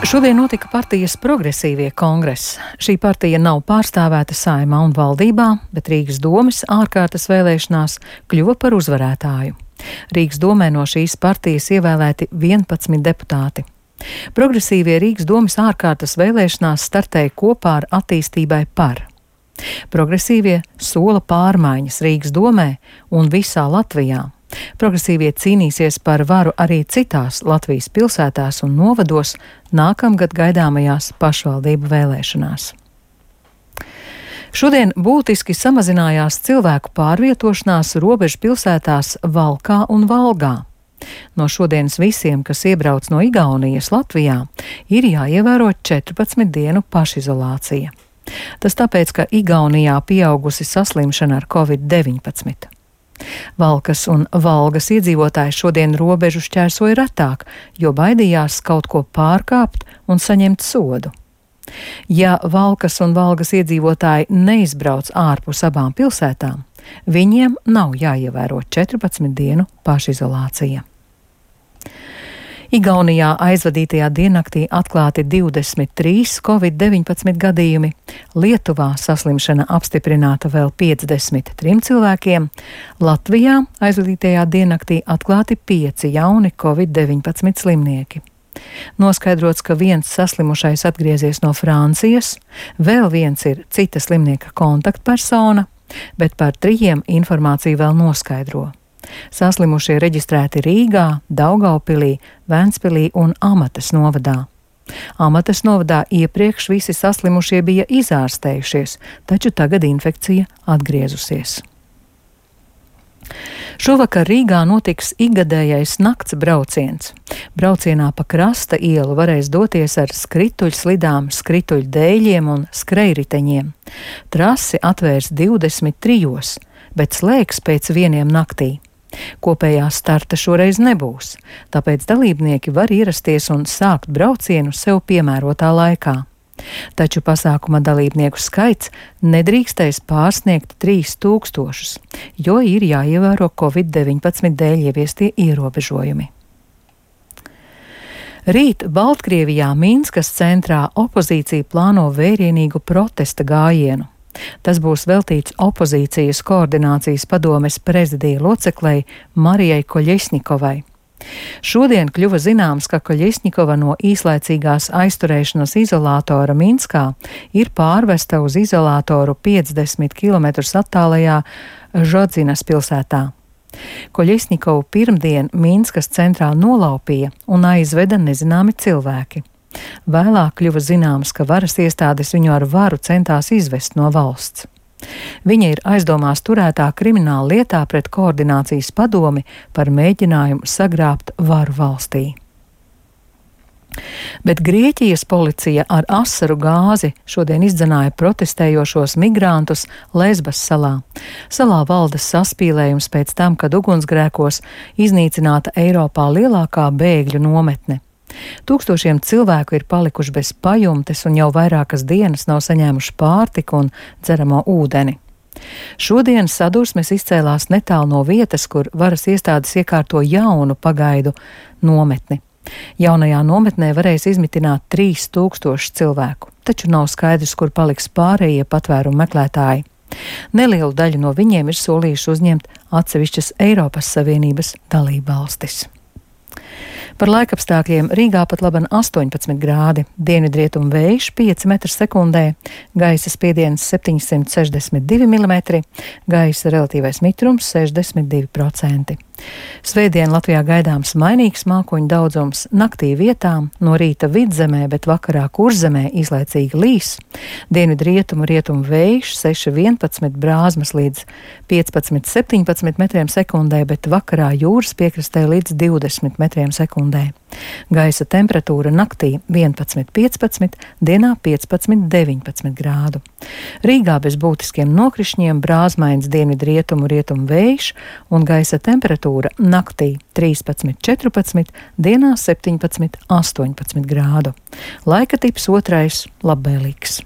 Šodien notika partijas Progresīvie kongress. Šī partija nav pārstāvēta Saeimā un valdībā, bet Rīgas domes ārkārtas vēlēšanās kļuva par uzvarētāju. Rīgas domē no šīs partijas ievēlēti 11 deputāti. Progresīvie Rīgas domes ārkārtas vēlēšanās startēja kopā ar Attīstībai par. Progresīvie sola pārmaiņas Rīgas domē un visā Latvijā. Progresīvie cīnīsies par varu arī citās Latvijas pilsētās un novados nākamgad gaidāmajās pašvaldību vēlēšanās. Šodien būtiski samazinājās cilvēku pārvietošanās robežu pilsētās Valkā un Valgā. No šodienas visiem, kas iebrauc no Igaunijas Latvijā, ir jāievēro 14 dienu pašizolācija. Tas tāpēc, ka Igaunijā pieaugusi saslimšana ar Covid-19. Valkas un Valgas iedzīvotāji šodien robežu šķērsoja retāk, jo baidījās kaut ko pārkāpt un saņemt sodu. Ja Valkas un Valgas iedzīvotāji neizbrauc ārpus abām pilsētām, viņiem nav jāievēro 14 dienu pašizolācija. Igaunijā aizvadītajā diennaktī atklāti 23 Covid-19 gadījumi, Lietuvā saslimšana apstiprināta vēl 53 cilvēkiem, Latvijā aizvadītajā diennaktī atklāti 5 jauni Covid-19 slimnieki. Noskaidrots, ka viens saslimušais atgriezies no Francijas, vēl viens ir cita slimnieka kontaktpersona, bet par 3 informāciju vēl noskaidro. Saslimušie reģistrēti Rīgā, Daugaupilī, Ventspilī un Amatas novadā. Amatas novadā iepriekš visi saslimušie bija izārstējušies, taču tagad infekcija atgriezusies. Šovakar Rīgā notiks ikgadējais nakts brauciens. Braucienā pa Krasta ielu varēs doties ar skrituļslidām, skrituļdēļiem un skrejriteņiem. Trasi atvērs 23, bet slēgs pēc 1 naktī. Kopējā starta šoreiz nebūs, tāpēc dalībnieki var ierasties un sākt braucienu sev piemērotā laikā. Taču pasākuma dalībnieku skaits nedrīkstēs pārsniegt 3000, jo ir jāievēro Covid-19 dēļ ieviestie ierobežojumi. Rīt Baltkrievijā Minskas centrā opozīcija plāno vērienīgu protesta gājienu. Tas būs veltīts opozīcijas koordinācijas padomes prezidija loceklei Marijai Koļesņikovai. Šodien kļuva zināms, ka Koļesņikova no īslaicīgās aizturēšanas izolātora Minskā ir pārvesta uz izolātoru 50 km attālajā Žodzinas pilsētā. Koļesņikovu pirmdien Minskas centrā nolaupīja un aizveda nezināmi cilvēki. Vēlāk kļuva zināms, ka varas iestādes viņu ar varu centās izvest no valsts. Viņa ir aizdomās turētā krimināla lietā pret koordinācijas padomi par mēģinājumu sagrābt varu valstī. Bet Grieķijas policija ar asaru gāzi šodien izdzenāja protestējošos migrantus Lesbas salā. Salā valda saspīlējums pēc tam, kad ugunsgrēkos iznīcināta Eiropā lielākā bēgļu nometne. Tūkstošiem cilvēku ir palikuši bez pajumtes un jau vairākas dienas nav saņēmuši pārtiku un dzeramo ūdeni. Šodien sadursmes izcēlās netālu no vietas, kur varas iestādes iekārto jaunu pagaidu nometni. Jaunajā nometnē varēs izmitināt 3000 cilvēku, taču nav skaidrs, kur paliks pārējie patvērumu meklētāji. Nelielu daļu no viņiem ir solījuši uzņemt atsevišķas Eiropas Savienības dalībvalstis. Par laikapstākļiem Rīgā pat laban 18 grādi, dienvidrietumu vējš 5 m/sekundē, gaisa spiediens 762 mm, gaisa relatīvais mitrums 62%. Svētdien Latvijā gaidāms mainīgs mākoņu daudzums, naktī vietām, no rīta vidzemē, bet vakarā kurzemē izlaicīgi līs. Dienvidrietumu rietumu vējš 6,11 brāzmas līdz 15,17 m/sekundē, bet vakarā jūras piekrastē līdz 20 m/sekundē. Gaisa temperatūra naktī 11,15, dienā 15,19 grādu. Rīgā bez būtiskiem nokrišņiem brāzmains dienvidrietumu rietumu vējš un gaisa temperatūra naktī 13,14, dienā 17,18 grādu. Laika tips 2 labvēlīgs.